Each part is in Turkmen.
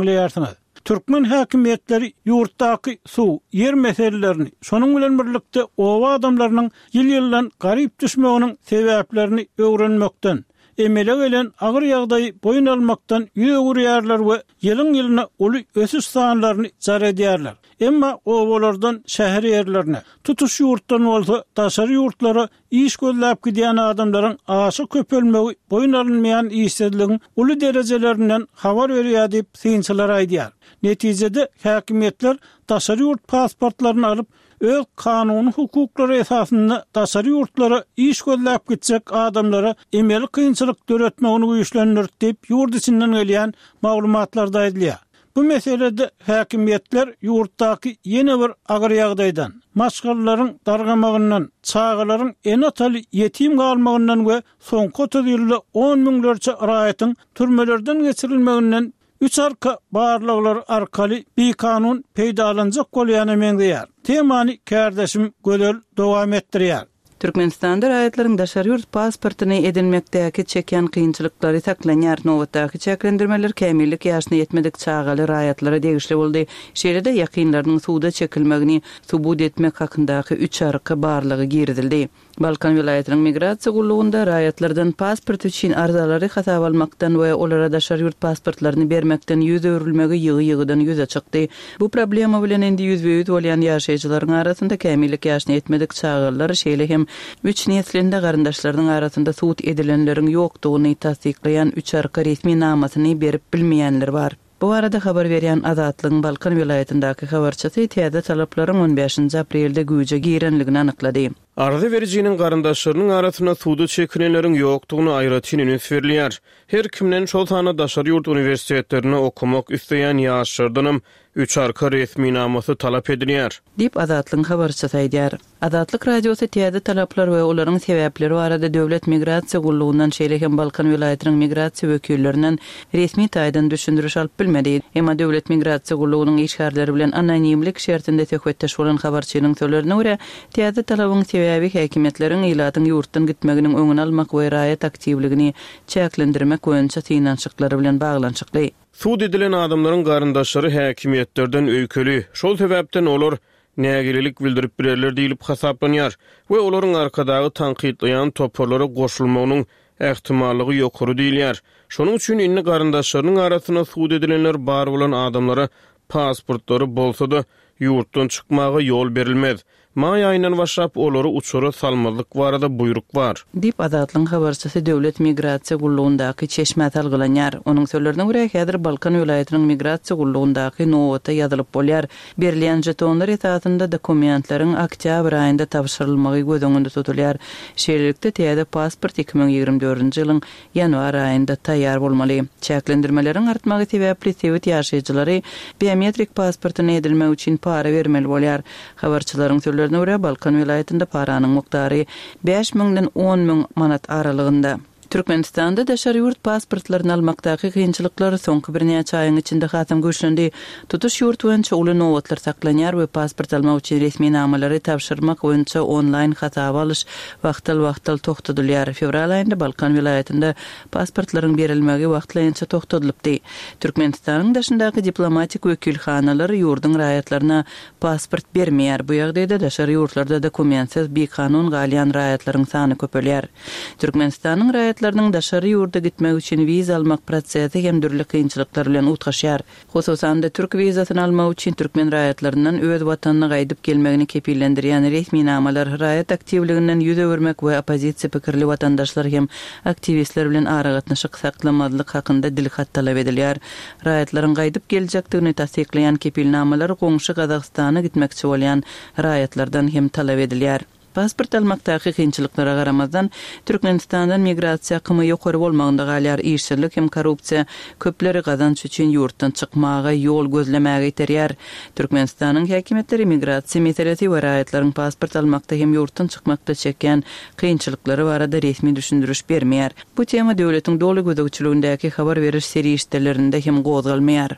Diňleýärsiňiz. Türkmen häkimiýetleri ýurtdaky suw, ýer meselelerini, şonuň bilen birlikde oba adamlarynyň ýyl-ýyldan garyp düşmeginiň sebäplerini öwrenmekden, emele gelen agyr ýagdaýy boýun almakdan ýüz öwürýärler we ýylyň-ýylyna uly ösüş sanlaryny jar edýärler. Emma obalardan şäher ýerlerine, tutuş ýurtdan bolsa daşary ýurtlara Iş gözläp gidýän adamlaryň aşa köpelmegi boýun alynmaýan işsizligiň uly derejelerinden habar berýär diýip, synçylar aýdýar. Netijede, häkimiýetler daşary ýurt pasportlaryny alyp, öz kanuny hukuklary esasynda daşary ýurtlara iş gözläp gitjek adamlara emeli kynçylyk döretmegini güýçlendirdi diýip, ýurt içinden gelýän maglumatlarda aýdylýar. Bu meselede häkimiýetler ýurtdaky ýene bir agyr ýagdaýdan, maşgalalaryň dargamagyndan, çagalaryň ene-ataly ýetim galmagyndan we soňky 30 ýylda on müňlerçe raýatyň türmelerden geçirilmeginden üç arka barlaglary arkaly bikanun peýdalanjak bolýana meňzeýär. Temany kärdeşim Gözel dowam etdirýär. Türkmenistanda raýatlaryň daşary ýurt pasportyny edinmekdäki çekýän kynçylyklary saklanýar. Nobatdaky çäklendirmeler kämillik ýaşyna ýetmedik çagaly raýatlara degişli boldy. Şeýle-de ýakynlarynyň suda çekilmegini subut etmek hakyndaky üç arka barlagy girizildi. Balkan welaýatynyň migrasiýa gullugynda raýatlardan pasport üçin arzalary hasaba almakdan we olara daşary ýurt pasportlaryny bermekden ýüz öwrülmegi ýygy-ýygydan ýüze çykdy. Bu problema bilen indi ýüzbe-ýüz bolýan ýaşaýjylaryň arasynda kämillik ýaşyna ýetmedik çagalar, şeýle hem üç neslinde garyndaşlarynyň arasynda sud edilenleriň ýokdugyny tassyklaýan üç arka resminamasyny berip bilmeýänler bar. Bu barada habar berýän Azatlygyň Balkan welaýatyndaky habarçysy täze talaplaryň on bäşinji aprelde güýje girenligini anyklady. Arza berijiniň garyndaşlarynyň arasynda suda çekilenleriň ýokdugyna aýratyn üns berilýär. Her kimden, şol sanda daşary ýurt uniwersitetlerinde okamak isleýän ýaşlardanam üç arka resminamasy talap edilýär. Diýip, Azatlygyň habarçysy aýdýar. Azatlyk Radiosy täze talaplar we olaryň sebäpleri barada Döwlet migrasiýa gullugyndan, şeýle hem Balkan welaýatynyň migrasiýa wekillerinden resmi taýdan düşündiriş alyp bilmedi. Emma Döwlet migrasiýa gullugynyň işgärleri bilen anonimlik şertinde söhbetdeş bolan habarçynyň sözlerine görä, täze talabyň sebäbi häkimiýetleriň ilatyň ýurtdan gitmeginiň öňüni almak we raýat aktiwligini çäklendirmek boýunça synanyşyklary bilen baglanyşykly. Sud edilen adamlaryň garyndaşlary häkimiýetlerden öýkeli, şol sebäpden olar nägilelik bildirip bilerler diýlip hasaplanýar we olaryň Arkadagy tankytlaýan toparlara goşulmagynyň ähtimallygy ýokary diýilýär. Şonuň üçin indi garyndaşlarynyň arasynda sud edilenler bar bolan adamlara pasportlary bolsa-da, ýurtdan çykmaga ýol berilmez. Maý aýyndan başlap olary uçara salmazlyk barada buýruk bar. Diýip, Azatlygyň habarçysy Döwlet migrasiýa gullugyndaky çeşmä salgylanýar. Onuň sözlerine görä, häzir Balkan welaýatynyň migrasiýa gullugyndaky nobata ýazylyp bolýar. Berilýän žetonlar esasynda dokumentleriň oktýabr aýynda tabşyrylmagy göz öňünde tutulýar. Şeýlelikde, täze pasport 2024-nji ýylyň ýanwar aýynda taýýar bolmaly. Çäklendirmeleriň artmagy sebäpli sebit ýaşaýjylary biometrik pasportyny edinmek üçin para bermeli bolýar. Habarçylaryň sözlerine görä, Balkan welaýatynda paranyň mukdary bäş müňden on müň manat aralygynda. Türkmenistanda daşary ýurt pasportlaryny almakdaky kynçylyklar soňky birnäçe aýyň içinde hasam güýçlendi. Tutuş ýurt boýunça uly nobatlar saklanýar we pasport almak üçin resminamalary tabşyrmak boýunça onlaýn hasaba alyş wagtal-wagtal togtadylýar. Fewral aýynda Balkan welaýatynda pasportlaryň berilmegi wagtlaýynça togtadylypdy. Türkmenistanyň daşyndaky diplomatik wekilhanalar ýurduň raýatlaryna pasport bermeýär. Bu ýagdaýda daşary ýurtlarda dokumentsiz bikanun galýan raýatlaryň sany köpelýär. Türkmenistanyň raýatlarynyň daşary ýurda gitmek üçin wiza almak prosesi hem dürli kynçylyklar bilen utgaşýar. Hususan-da, türk wizasyny almak üçin türkmen raýatlaryndan öz watanyna gaýdyp gelmegini kepillendirýän resminamalar, raýat aktiwliginden ýüz öwürmek we oppozisiýa pikirli watandaşlar hem aktiwistler bilen aragatnaşyk saklamazlyk hakynda dilhat talap edilýär. Raýatlaryň gaýdyp geljekdigini tassyklaýan kepilnamalar goňşy Gazagystana gitmekçi bolýan raýatlardan hem talap edilýär. Pasport almakdaky kynçylyklara garamazdan, Türkmenistandan migrasiýa akymy ýokary bolmagynda galýar, işsizlik hem korrupsiýa köpleri gazanç üçin ýurtdan çykmaga, ýol gözlemäge iterýär. Türkmenistanyň häkimiýetleri migrasiýa meselesi we raýatlaryň pasport almakda hem ýurtdan çykmakda çekýän kynçylyklary barada resmi düşündiriş bermeýär. Bu tema döwletiň doly gözegçiligindäki habar beriş serişdelerinde hem gozgalmaýar.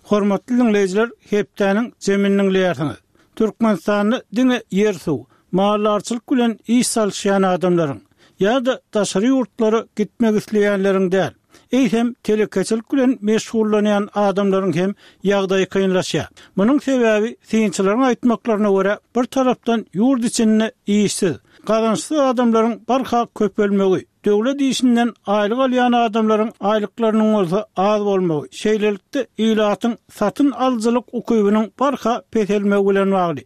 Hormatly diňleýjiler, hepdäniň jemini diňleýärsiňiz. Türkmenistanda diňe ýer-suw, maldarçylyk bilen iş salyşýan adamlaryň ýa-da daşary ýurtlara gitmek isleýänleriň däl, eýsem, telekeçilik bilen meşgullanýan adamlaryň hem ýagdaýy kynlaşýar. Munuň sebäbi, synçylaryň aýtmaklaryna görä, bir tarapdan ýurt içinde işsiz, gazançsyz adamlaryň barha köpelmegi, döwlet işinden aýlyk alýan adamlaryň aýlyklarynyň bolsa az bolmagy, şeýlelikde, ilatyň satyn alyjylyk ukybynyň barha peselmegi bilen bagly.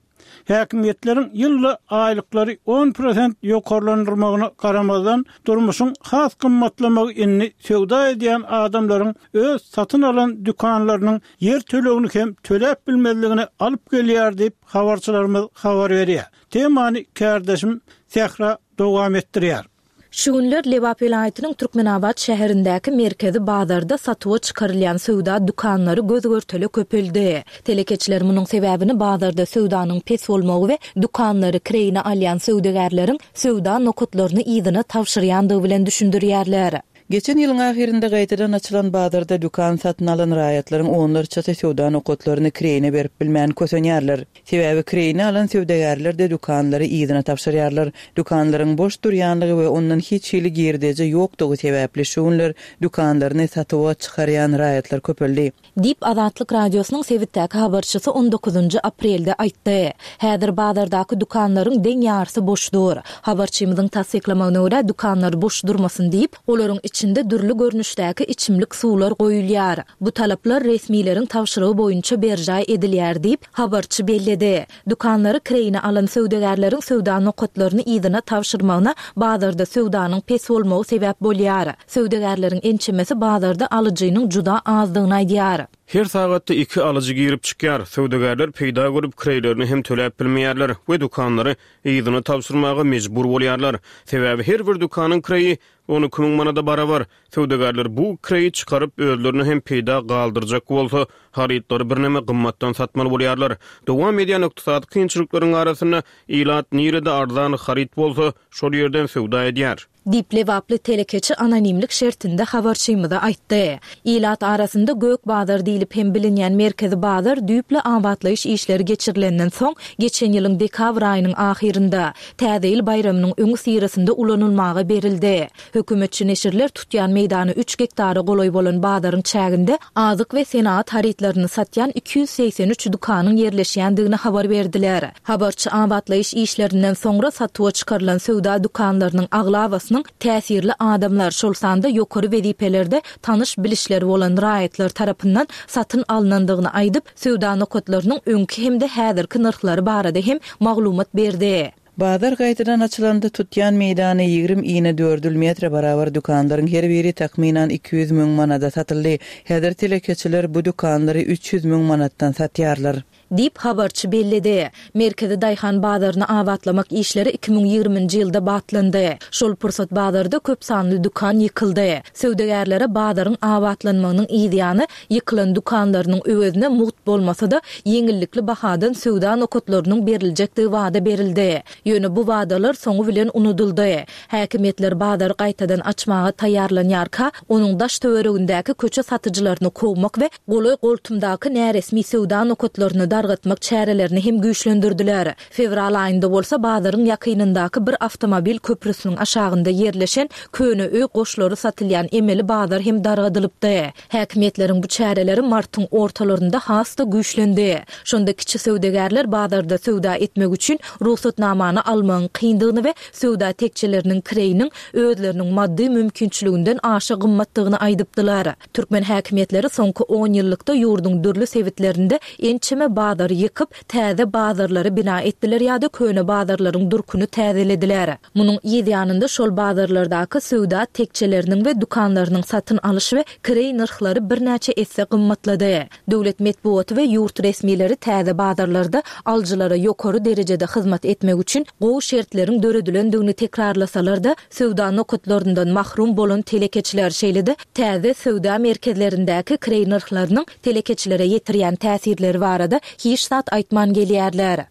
Häkimiýetleriň ýylda aýlyklary on prosent ýokarlandyrmagyna garamazdan, durmuşyň has gymmatlamagy indi söwda edýän adamlaryň öz satyn alan dükanlarynyň ýer tölegini hem töläp bilmezligine alyp gelýär diýip, habarçylarymyz habar berýär. Temany kärdeşim Sähra dowam etdirýär. Şu günler Lebap welaýatynyň Türkmenabat şäherindäki merkezi bazarda satuwa çykarylýan söwda dükanlary göz-görtele köpeldi. Telekeçiler munuň sebäbini bazarda söwdanyň pes bolmagy we dükanlary kireýine alýan söwdagärleriň söwda nokatlaryny yzyna tabşyrýandygy bilen düşündirýärler. Geçen ýylyň ahyrynda gaýtadan açylan bazarda dükan satyn alan raýatlaryň onlarçasy söwda nokatlaryny kireýine berip bilmän kösenýärler. Sebäbi kireýine alan söwdagärler-de dükanlary yzyna tabşyrýarlar. Dükanlaryň boş durýanlygy we ondan hiç hili girdeji ýokdugy sebäpli şu günler dükanlaryny satuwa çykarýan raýatlar köpeldi. Diýip, Azatlyk Radiosynyň sebitdäki habarçysy on dokuzynjy aprelde aýtdy. Häzir bazardaky dükanlaryň deň ýarysy boş dur. Habarçymyzyň tassyklamagyna görä, dükanlar boş durmasyn diýip, olaryň içinde dürli görnüşdäki içimlik suwlar goýulýar. Bu talaplar resmileriň tabşyrygy boýunça berjaý edilýär diýip, habarçy belledi. Dükanlary kireýine alan söwdagärleriň söwda nokatlaryny yzyna tabşyrmagyna bazarda söwdanyň pes bolmagy sebäp bolýar. Söwdagärleriň ençemesi bazarda alyjynyň juda azdygyny aýdýar. Her sagatda iki alyjy girip çykýar. Söwdagärler peýda görüp kireýlerini hem töläp bilmeýärler we dükanlary yzyna tabşyrmaga mejbur bolýarlar. Sebäbi her bir dükanyň kireýi 12 müň manada barabar. Söwdagärler bu kireýi çykaryp, özlerine hem peýda galdyrjak bolsa, harytlary birneme gymmatdan satmaly bolýarlar. Dowam edýän ykdysady kynçylyklaryň arasynda ilat nirede arzan haryt bolsa, şol ýerden söwda edýär. Diýip, lebaply telekeçi anonimlik şertinde habarçymyza aýtdy. Ilat arasynda Gök bazar diýlip hem bilinýän merkezi bazar düýpli abatlaýyş işleri geçirilenden soň, geçen ýylyň dekabr aýynyň ahyrynda, Täze ýyl baýramynyň öňüsyrasynda ulanylmaga berildi. Hökümetçi neşirler tutýan meýdany üç gektara golaý bolan bazaryň çäginde azyk we senagat harytlaryny satýan 283 dükanyň ýerleşýändigini habar berdiler. Habarçy abatlaýyş işlerinden soňra satuwa çykarylan söwda dükanlarynyň aglabasynyň täsirli adamlar, şol sanda ýokary wezipelerde tanyş-bilişleri bolan raýatlar tarapyndan satyn alnandygyny aýdyp, söwda nokatlarynyň öňki hem-de häzirki nyrhlary barada hem maglumat berdi. Bazar gaýtadan açylanda tutýan meýdany 20 inedördül metre barabar dükanlaryň her biri takmynan 200 müň manada satyldy. Häzir telekeçiler bu dükanlary 300 müň manatdan satýarlar. Diýip, habarçy belledi. Merkezi daýhan bazaryny abatlamak işleri 2020-nji ýylda batlandy. Şol pursat bazarda köp sanly dükan ýykyldy. Söwdagärlere bazaryň abatlanmagynyň yzýany, ýykylan dükanlarynyň öwezine mugt bolmasa-da, ýeňillikli bahadan söwda nokatlarynyň beriljekdigi wada berildi. Ýöne bu wadalar soňy bilen unudyldy. Häkimiýetler bazary gaýtadan açmaga taýýarlanýarka, onuň daş-töweregindäki köçe satyjylaryny kowmak we golaý-goltumdaky näresmi söwda nokatlaryny dargatmak çärelerini hem güýçlendirdiler. Fewral aýynda bolsa bazaryň ýakynyndaky bir awtomobil köprüsiniň aşagynda ýerleşen köne öý goşlary satylýan emeli bazar hem dargadylypdy. Häkimiýetleriň bu çäreleri martyň ortalarynda has-da güýçlendi. Şonda kiçi söwdagärler bazarda söwda etmek üçin rugsatnamany almagyň kyndygyny we söwda tekjeleriniň kireýiniň özleriniň maddy mümkinçiliginden aşa gymmatdygyny aýdypdylar. Türkmen häkimiýetleri soňky onýyllykda ýurduň dürli sebitlerinde ençeme bazary ýykyp, täze bazarlary bina etdiler ýa-da köne bazarlaryň durkuny täzelediler. Munuň yz ýanynda şol bazarlardaky söwda tekjeleriniň we dükanlarynyň satyn alyş we kireý nyrhlary birnäçe esse gymmatlady. Döwlet metbugaty we ýurt resmileri täze bazarlarda alyjylara ýokary derejede hyzmat etmek üçin gowy şertleriň döredilendigini tekrarlasalar-da, söwda nokatlaryndan mahrum bolan telekeçiler, şeýle-de täze söwda merkezlerindäki kireý nyrhlarynyň telekeçilere ýetirýän täsirleri barada hiç zat aýtman gelýärler.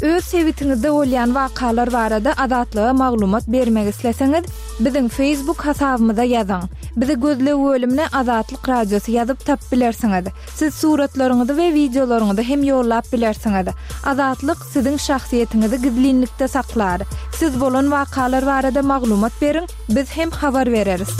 Öz sebitiňizde bolýan wakalar barada Azatlyga maglumat bermek isleseňiz, Biziň Facebook hasabymyza ýazyň. Bizi gözleg bölümine Azatlyk Radiosy ýazyp tapyp bilersiňiz. Siz suratlaryňyzy we wideolaryňyzy hem ýollap bilersiňiz. Azatlyk siziň şahsyýetiňizi gizlinlikde saklar. Siz bolan wakalar barada maglumat beriň, biz hem habar bereris.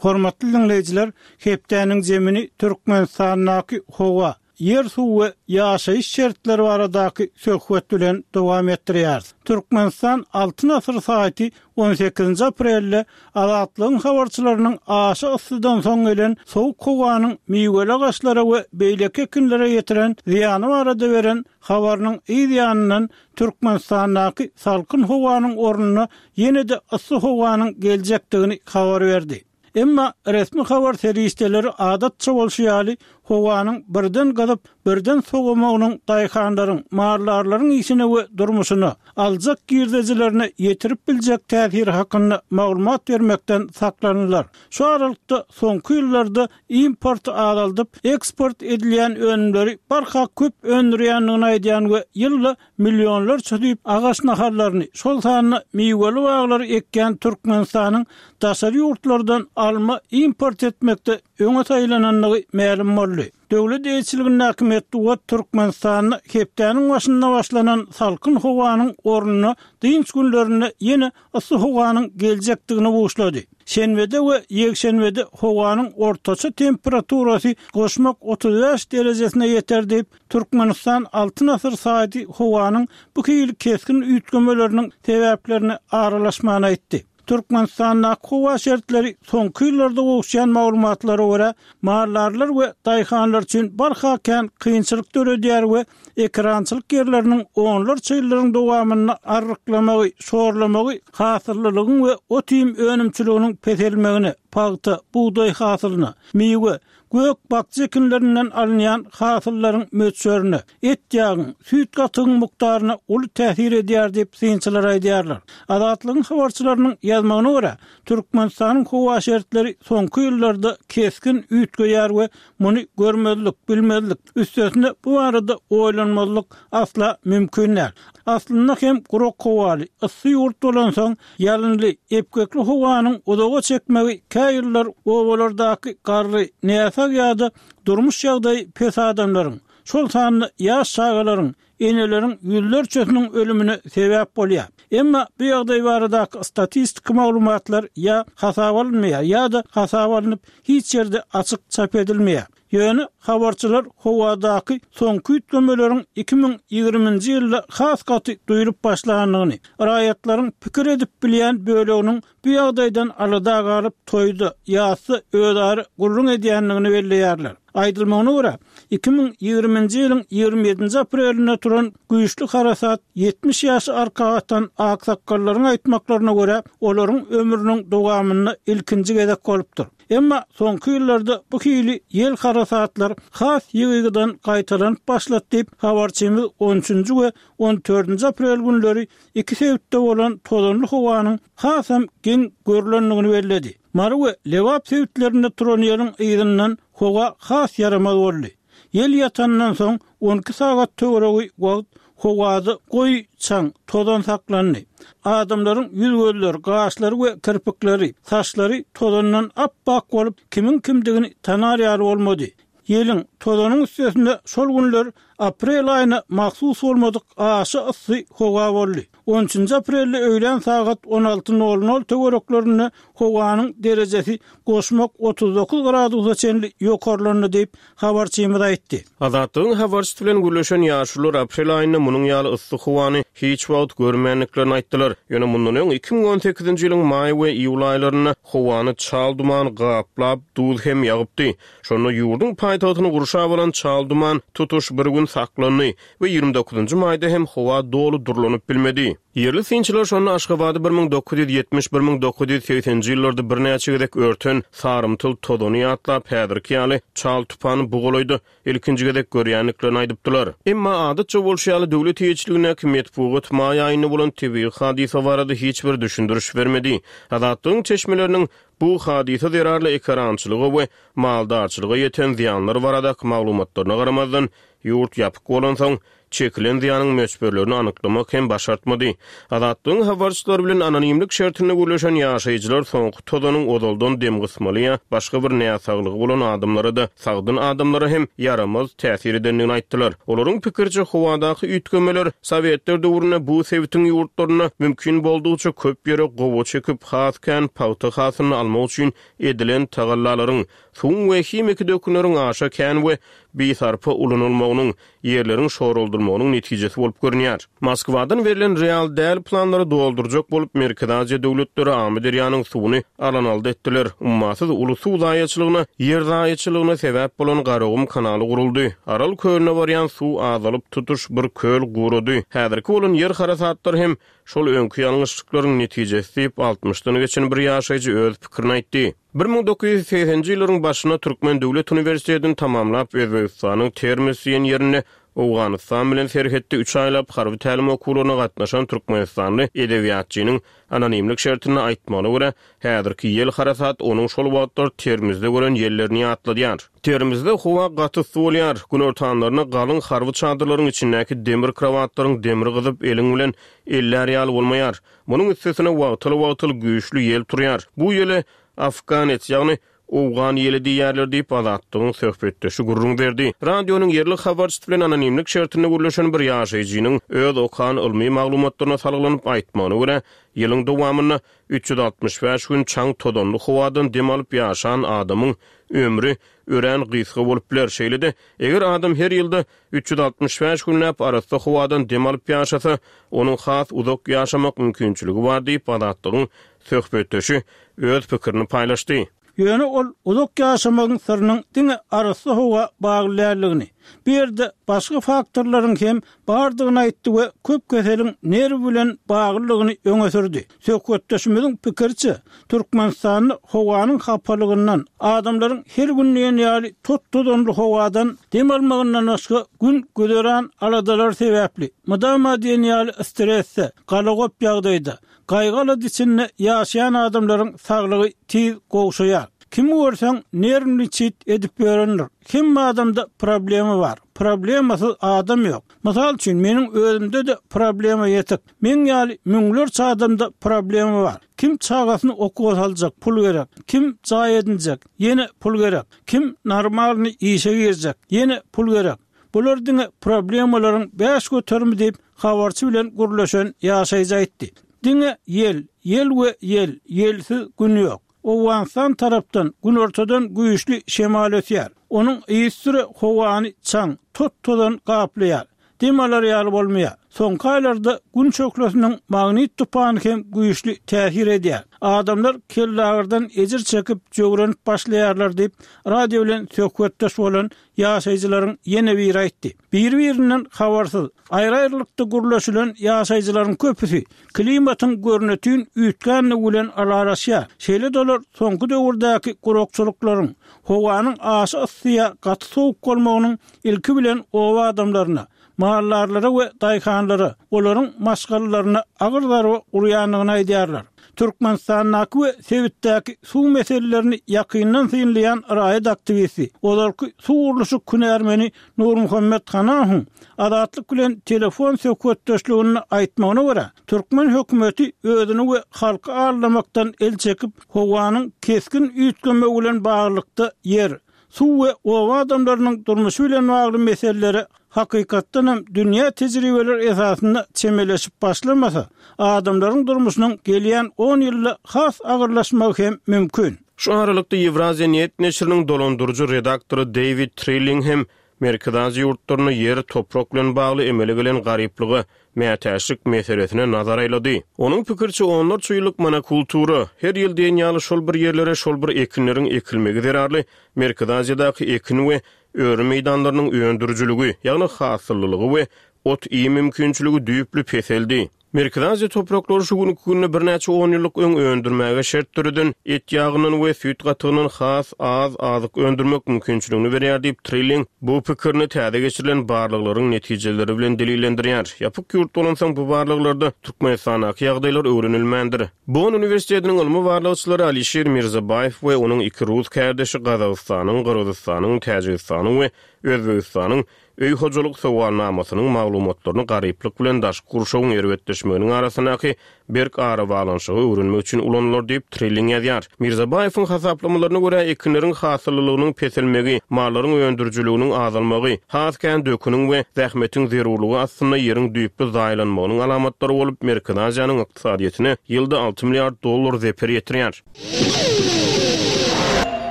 Hormatly diňleýjiler, hepdäniň zemini Türkmenistandaky howa, ýer-suw we ýaşaýyş şertleri baradaky söhbet bilen dowam etdirýäris. Türkmenistan Altyn asyr saýty on sekizinji aprelde Azatlygyň habarçylarynyň aşa yssydan soň gelen sowuk howanyň miweli agaçlara we beýleki ekinlere ýetiren zyýany barada beren habarynyň yz ýanyndan Türkmenistandaky salkyn howanyň ornuna ýene-de yssy howanyň geljekdigini habar berdi. Emma resmi habar serişdeleri adatça bolşy ýaly, howanyň birden gyzyp, birden sowamagynyň daýhanlaryň, maldarlaryň işine we durmuşyna, aljak girdejilerine ýetirip biljek täsiri hakynda maglumat bermekden saklandylar. Şu aralykda, soňky ýyllarda importy azaldyp, eksport edilýän önümleri barha köp öndürýändigini aýdýan we ýylda millionlarça düýp agaç nahallaryny, şol sanda miweli baglary ekýän Türkmenistanyň daşary ýurtlardan alma import etmekde öňe saýlanandygy mälim boldy. Döwlet eýeçiligindäki metbugat Türkmenistanda hepdäniň başynda başlanan salkyn howanyň ornuna dynç günlerinde ýene yssy howanyň geljekdigini buşlady. Şenbede we ýekşenbede howanyň ortaça temperaturasy goşmak 35 derejesine ýeter diýip, Türkmenistan Altyn asyr saýty howanyň bu hili kesgin üýtgemeleriniň sebäplerine aralaşman aýtdy. Türkmenistandaky howa şertleri soňky ýyllarda gowuşýan maglumatlara görä, maldarlar we daýhanlar üçin barha kän kynçylyk döredýär we ekerançylyk ýerleriniň onlarça ýyllaryň dowamynda arryklamagy, şorlamagy hasyllylygyň we ot-iým önümçiliginiň peselmegine, pagta, bugdaý hasylyna, miwe, Gök-bakja ekinlerinden alynýan hasyllaryň möçberine, et-ýagyň, süýt-gatygyň mukdaryna uly täsir edýär diýip, synçylar aýdýarlar. Azatlygyň habarçylarynyň ýazmagyna görä, Türkmenistanyň howa şertleri soňky ýyllarda kesgin üýtgeýär we muny görmezlik, bilmezlik, üstesine bu barada oýlanmazlyk asla mümkin däl. Aslynda hem gurak howaly, yssy ýurt bolansoň, Ýalynly, epgekli howanyň uzaga çekmegi kä ýyllar obalardaky garry, näsag ýa-da durmuş ýagdaýy pes adamlaryň, şol sanda ýaş çagalaryň, eneleriň ýüzlerçesiniň ölümine sebäp bolýar. Emma bu ýagdaý baradaky statistiki maglumatlar ýa hasaba alynmaýar ýa-da hasaba alnyp, hiç ýerde açyk çap edilmeýär. Ýöne habarçylar howadaky soňky üýtgemeleriň 2020-nji ýylda has gaty duýlup başlandygyny, raýatlaryň pikir edip bilýän böleginiň bu ýagdaýdan alada galyp, toýda, ýasda özara gürrüň edýändigini belleýärler. Aýdylmagyna görä, 2020-nji ýylyň 27-nji aprelinde turan güýçli harasat 70 ýaşy arka atan aksakgallaryň aýtmaklaryna görä, olaryň ömrüniň dowamynda ilkinji gezek bolupdyr. Emma soňky ýyllarda bu hili ýel harasatlar has ýygy-ýygydan gaýtalanyp başlady diýip, habarçymyz on üçünji we on dördünji aprel günleri iki sebitde bolan tozanly howanyň hasam geň görlendigini belledi. Mary we Lebap sebitlerinde turan ýeliň yzyndan howa has ýaramaz boldy. Ýel ýatandan soň on iki sagat töweregi wagt howada goýy çaň, tozan saklandy. Adamlaryň ýüz-gözleri, gaşlary we kirpikleri, saçlary tozandan ap-ak bolup, kimiň kimdigini tanar ýaly bolmady. Ýeliň, tozanyň üstesine şol günler aprel aýyna mahsus bolmadyk aşa yssy howa boldy. On üçünji aprelde öýlän sagat on alty nol nol töwereklerinde howanyň derejesi goşmak 39 gradusa çenli ýokarlandy diýip, habarçymyz aýtdy. Azatlygyň habarçysy bilen gürleşen ýaşulular aprel aýynda munuň ýaly yssy howany hiç wagt görmändiklerini aýtdylar. Ýöne mundan öň, 2018-nji ýylyň maý we iýul aýlarynda howany çal duman gaplap, duz hem ýagypdy. Şonda ýurduň paýtagtyny gurşap alan çal duman tutuş bir gün saklandy we 29-njy maýda hem howa doly durlanyp bilmedi. Ýerli synçylar şonda Aşgabady 1970, 1980-nji ýyllarda birnäçe gezek örten sarymtyl tozany ýatlap, häzirki ýaly çal tupany bu golaýda ilkinji gezek görýändiklerini aýdypdylar. Emma adatça bolşy ýaly, döwlet eýeçiligindäki metbugat maý aýynda bolan tebigy hadysa barada hiç bir düşündiriş bermedi. Azatlygyň çeşmeleriniň bu hadysa zerarly ekerançylyga we maldarçylyga ýeten zyýanlar baradaky maglumatlaryna garamazdan, ýurt ýapyk bolansoň, çekilen zyýanyň möçberlerini anyklamak hem başartmady. Azatlygyň habarçylary bilen anonimlik şertinde gürleşen ýaşaýjylar soňky tozanyň ozaldan demgysmaly ýa başga bir näsaglygy bolan adamlara-da, sagdyn adamlara hem ýaramaz täsir edendigini aýtdylar. Olaryň pikiriçe, howadaky üýtgemeler sowetler döwründe bu sebitiň ýurtlarynda mümkin boldugyça köp ýere gowaça ekip, has kän pagta hasylyny almak üçin edilen tagallalaryň, suwuň we himiki dökünleriň aşa kän we bisarpa ulanylmagynyň, ýerleriň şoraldylmagynyň netijesi bolup görünýär. Moskwadan berlen real däl planlary doldurjak bolup, Merkezi Aziýa döwletleri Amyderýanyň suwuny alan-aldy etdiler. Ummasyz uly suw zaýaçylygyna, ýer zaýaçylygyna sebäp bolan Garagum kanaly guruldy. Aral kölüne barýan suw azalyp, tutuş bir köl gurady. Häzirki bolan ýer harasatlary hem şol öňki ýalňyşlyklaryň netijesi diýip, altmyşdan geçen bir ýaşaýjy öz pikirini aýtdy. 1980-nji ýyllaryň başynda Türkmen döwlet uniwersitetini tamamlap, Özbegistanyň Termez diýen ýerinde Owganystan bilen serhetde üç aýlap harby tälim okuwlaryna gatnaşan türkmenistanly edebiýatçynyň anonimlik şertinde aýtmagyna görä, häzirki ýel harasat onuň şol wagtlar Termizde gören ýellerini ýatladýar. Termizde howa gaty yssy bolýar. Günortanlaryna galyň harby çadyrlaryň içindäki demir krowatlaryň demri gyzyp, eliň bilen ellär ýaly bolmaýar. Munuň üstesine wagtal-wagtal güýçli ýel turýar. Bu ýele afganets, ýagny owgan ýeli diýýärler diýip, Azatlygyň söhbetdeşi gürrüň berdi. Radionyň ýerli habarçysy bilen anonimlik şertinde gürleşen bir ýaşaýjynyň öz okan ylmy maglumatlaryna salgylanyp aýtmagyna görä, ýylyň dowamynda 365 gün çaň-tozanly howadan dem alyp ýaşan adamyň ömri örän gysga bolup biler. Şeýle-de, eger adam her ýylda 365 günläp arassa howadan dem alyp ýaşasa, onuň has uzak ýaşamak mümkinçiligi bar diýip, Azatlygyň söhbetdeşi öz pikirini paýlaşdy. Ýöne ol uzak ýaşamagyň syrynyň diňe arassa howa bagly däldigini, bu ýerde başga faktorlaryň hem bardygyny aýtdy we köp keseliň nerw bilen baglydygyny öňe sürdi. Söhbetdeşimiziň pikiriçe, Türkmenistanda howanyň hapalygyndan, adamlaryň her gün diýen ýaly tot-tozanly howadan dem almagyndan başga gün-güzeran aladalary sebäpli, mydama diýen ýaly stresde, galagop ýagdaýda, gaýgy-alada içinde ýaşaýan adamlaryň saglygy tiz gowşaýar. Kimi görseň, nerwniçit edip ýörendir. Hemme adamda problema bar. Problemasyz adam ýok. Mysal üçin, meniň özümde-de problema ýetik. Meň ýaly müňlerçe adamda problema bar. Kim çagasyny okuwa saljak, pul gerek. Kim jaý edinjek, ýene pul gerek. Kim normalnyý işe girjek, ýene pul gerek. Bular diňe problemalaryň bäş göterimi diýip, habarçy bilen gürleşen ýaşaýjy aýtdy. Diňe ýel, ýel we ýel, ýelsiz gün ýok. Owganystan tarapdan, günortadan güýçli şemal ösýär. Onuň yzysüre howany çaň, tot-tozan gaplaýar. Dem alar ýaly bolmaýar. Soňky aýlarda Gün şöhlesiniň magnit tupany hem güýçli täsir edýär. Adamlar kellagyrdan ejir çekip, jöwrenip başlaýarlar diýip, radio bilen söhbetdeş bolan ýaşaýjylaryň ýene biri aýtdy. Biri-birinden habarsyz, aýry-aýrylykda gürleşilen ýaşaýjylaryň köpüsi klimatyň görnetin üýtgändigi bilen ylalaşýar. Şeýle-de olar soňky döwürdäki gurakçylyklaryň, howanyň aşa yssy ýa gaty sowuk bolmagynyň ilki bilen oba adamlaryna, maldarlara we daýhanlara, olaryň maşgalalaryna agyr zarba urýandygyny aýdýarlar. Türkmenistandaky we sebitdäki suw meselelerini ýakyndan synlaýan raýat aktiwisti, ozalky suw gurluşyk hünärmeni Nurmuhammet Hanahowyň Azatlyk bilen telefon söhbetdeşliginde aýtmagyna görä, türkmen hökümeti özüni we halky aldamakdan el çekip, howanyň kesgin üýtgemegi bilen baglylykda ýer, suw we oba adamlarynyň durmuşy bilen bagly meselelere hakykatdan hem dünýä tejribeleri esasynda çemeleşip başlamasa, adamlaryň durmuşynyň gelýän on ýylda has agyrlaşmagy hem mümkin. Şu aralykda, Ýewraziýa net neşiriniň dolandyryjy redaktory Deýwid Trilling hem Merkezi Aziýa ýurtlarynda ýer, toprak bilen bagly emele gelen garyplyga, mätäçlik meselesine nazar aýlady. Onuň pikiriçe, onlarça ýyllyk monokultura, her ýyl diýen ýaly şol bir ýerlere şol bir ekinleriň ekilmegi zerarly Merkezi Aziýadaky ekin we öri meýdanlarynyň öndürijiligi, ýagny hasyllylygy we ot-iým mümkinçiligi düýpli peseldi. Merkezi Aziýa topraklary şu günki günde birnäçe onýyllyk öň öndürmäge şert döreden et ýagyndan we süýt gatygyndan has az azyk öndürmek mümkinçiligini berýär diýip, Trilling bu pikirini täze geçirilen barlaglaryň netijeleri bilen delillendirýär. Ýapyk ýurt bolansoň bu barlaglarda Türkmenistandaky ýagdaýlar öwrenilmändir. Bonn uniwersitetiniň ylmy barlagçylary Alişir Mirzabaýew we onuň iki rus kärdeşi Gazagystanyň, Gyrgyzystanyň, Täjigistanyň we Özbegistanyň. Öý hojalyk sowalnamasynyň maglumatlaryny garyplyk bilen daşky gurşawyň erbetleşmeginiň arasyndaky berk arabaglanyşygy öwrenmek üçin ulanylar diýip, Trilling ýazýar. Mirzabaýewiň hasaplamalaryna görä, ekinleriň hasyllylygynyň peselmegi, mallaryň öndürijiliginiň azalmagy, has kän döküniň we zähmetiň zerurlygy astynda ýeriň düýpli zaýalanmagynyň alamatlary bolup, Merkezi Aziýanyň ykdysadyýetine ýylda alty milliard dollar zeper ýetirýär.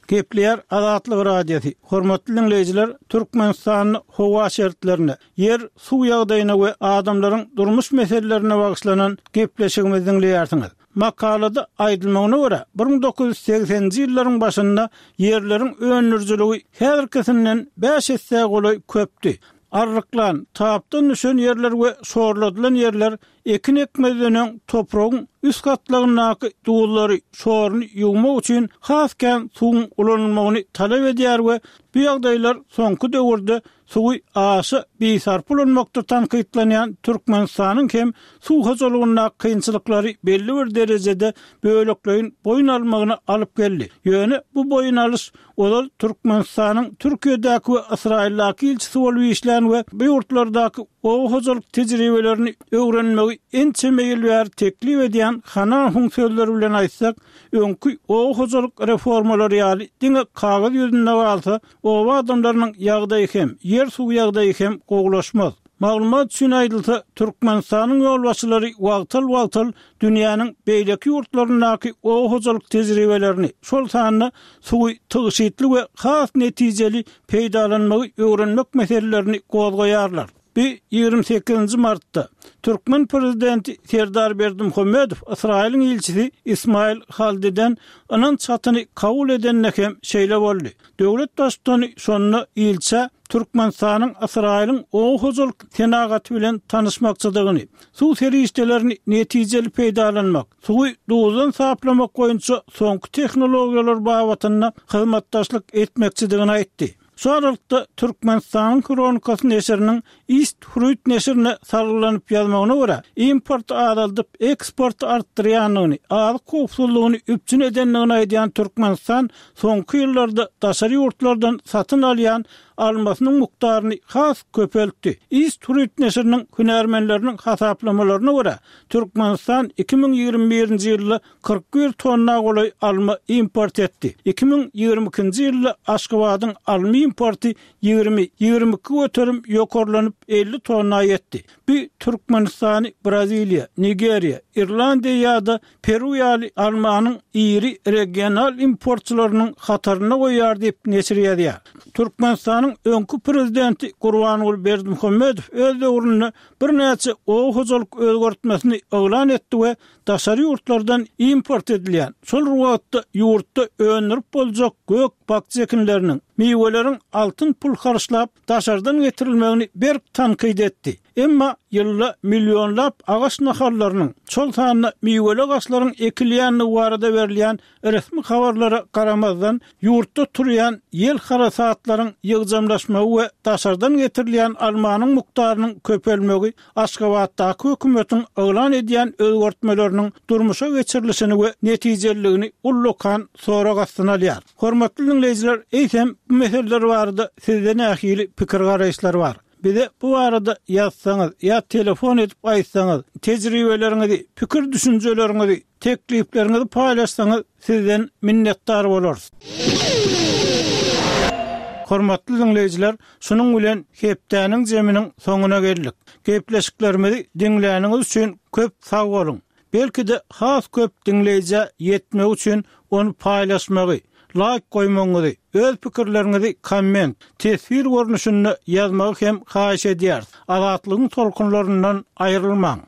Gepleýär Azatlyk Radiosy, Hormatly diňleýjiler, Türkmenistanda howa şertlerine, ýer, suw ýagdaýyna we adamlaryň durmuş meselelerine bagyşlanan gepleşigimizi diňleýärsiňiz. Makalada aýdylmagyna görä, 1980-nji ýyllaryň başynda ýerleriň öndürijiligi häzirkisinden bäş essä golaý köpdi. Arryklan, tapdan düşen ýerler we şorladylan ýerler Ekin ekmezden öň topragyň üst gatlagyndaky duzlary, şoruny ýuwmak üçin has kän suwuň ulanylmagyny talap edýär we bu ýagdaýlar soňky döwürde suwy aşa bisarpa ulanmakda tankytlanýan Türkmenistanyň hem suw hojalygyndaky kynçylyklary belli bir derejede bölekleýin boýun almagyna alyp geldi. Ýöne bu boýun alyş ozal Türkmenistanyň Türkiýedäki we Ysraýyldaky ilçisi bolup işlän we bu ýurtlardaky oba hojalyk tejribelerini öwrenmegi ençeme ýyl bäri teklip edýän Hanahuň sözleri bilen aýtsak, öňki oba hojalyk reformalary ýaly diňe kagyz ýüzünde galsa, oba adamlarynyň ýagdaýy hem, ýer-suw ýagdaýy hem gowulaşmaz. Maglumat üçin aýdylsa, Türkmenistanyň ýolbaşçylary wagtal-wagtal dünýäniň beýleki ýurtlaryndaky oba hojalyk tejribelerini, şol sanda suwy tygşytly we has netijeli peýdalanmagy öwrenmek meselelerini gozgaýarlar. Bu 28-nji martda türkmen prezidenti Serdar Berdimuhamedow Ysraýylyň ilçisi Ismail Haldiden ynanç hatyny kabul edende hem şeýle boldy. Döwlet Baştutany şonda ilçä Türkmenistanyň Ysraýylyň oba hojalyk senagaty bilen tanyşmakçydygyny, suw serişdelerini netijeli peýdalanmak, suwy duzdan saplamak boýunça soňky tehnologiýalar babatynda hyzmatdaşlyk etmekçidigini aýtdy. Şu aralykda, Türkmenistanyň Hronikasy neşiriniň East Fruit neşirine salgylanyp ýazmagyna görä, importy azaldyp, eksporty artdyrýandygyny, azyk howpsuzlygyny üpjün edendigini aýdýan Türkmenistan soňky ýyllarda daşary ýurtlardan satyn alýan almasynyň mukdaryny has köpeltdi. East Fruit neşiriniň hünärmenleriniň hasaplamalaryna görä, Türkmenistan 2021-nji ýylda 41 tonna golaý alma import etdi. 2022-nji ýylda Aşgabadyň alma importy 20, 22% ýokarlanyp, 50 tonna ýetdi. Bu Türkmenistany Braziliýa, Nigeriýa, Irlandiýa ýa-da Peru ýaly almanyň iri regional importçylarynyň hatarynda goýýar diýip, neşir ýazýar. Türkmenistanyň öňki prezidenti Gurbanguly Berdimuhamedow öz döwründe birnäçe oba hojalyk özgertmesini yglan etdi we daşary ýurtlardan import edilýän, şol bir wagtda ýurtda öndürip boljak gök-bakja ekinleriniň, miweleriň altyn pul harçlap daşardan getirilmegini berk tankyt etdi. Emma ýylda millionlap agaç nahallarynyň, şol sanda miweli agaçlaryň ekilýändigi barada berilýän Resmi habarlara garamazdan, ýurtda turýan ýel harasatlaryň ýygjamlaşmagy we daşardan getirilýän almanyň mukdarynyň köpelmegi Aşgabatdaky hökümetiň yglan edýän özgertmeleriniň durmuşa geçirilişini we netijeliligini ullakan sorag astyna alýar. Hormatly diňleýjiler, eýsem, bu meseleler barada sizde nähili pikir-garaýyşlar bar? Bize bu barada ýazsaňyz ýa telefon edip aýtsaňyz, tejribeleriňizi, pikir-düşünjeleriňizi, Teklipleriňizi paýlaşsaňyz sizden minnetdar bolarys. Hormatly diňleýjiler, şunuň bilen hepdäniň jeminiň soňuna geldik. Gepleşiklerimizi diňläniňiz üçin köp sag boluň. Belki-de has köp diňleýjä ýetmegi üçin ony paýlaşmagy, laýk goýmagyňyzy, öz pikirleriňizi komment, teswir görnüşinde ýazmagy hem haýyş edýäris. Azatlygyň tolkunlaryndan aýrylmaň!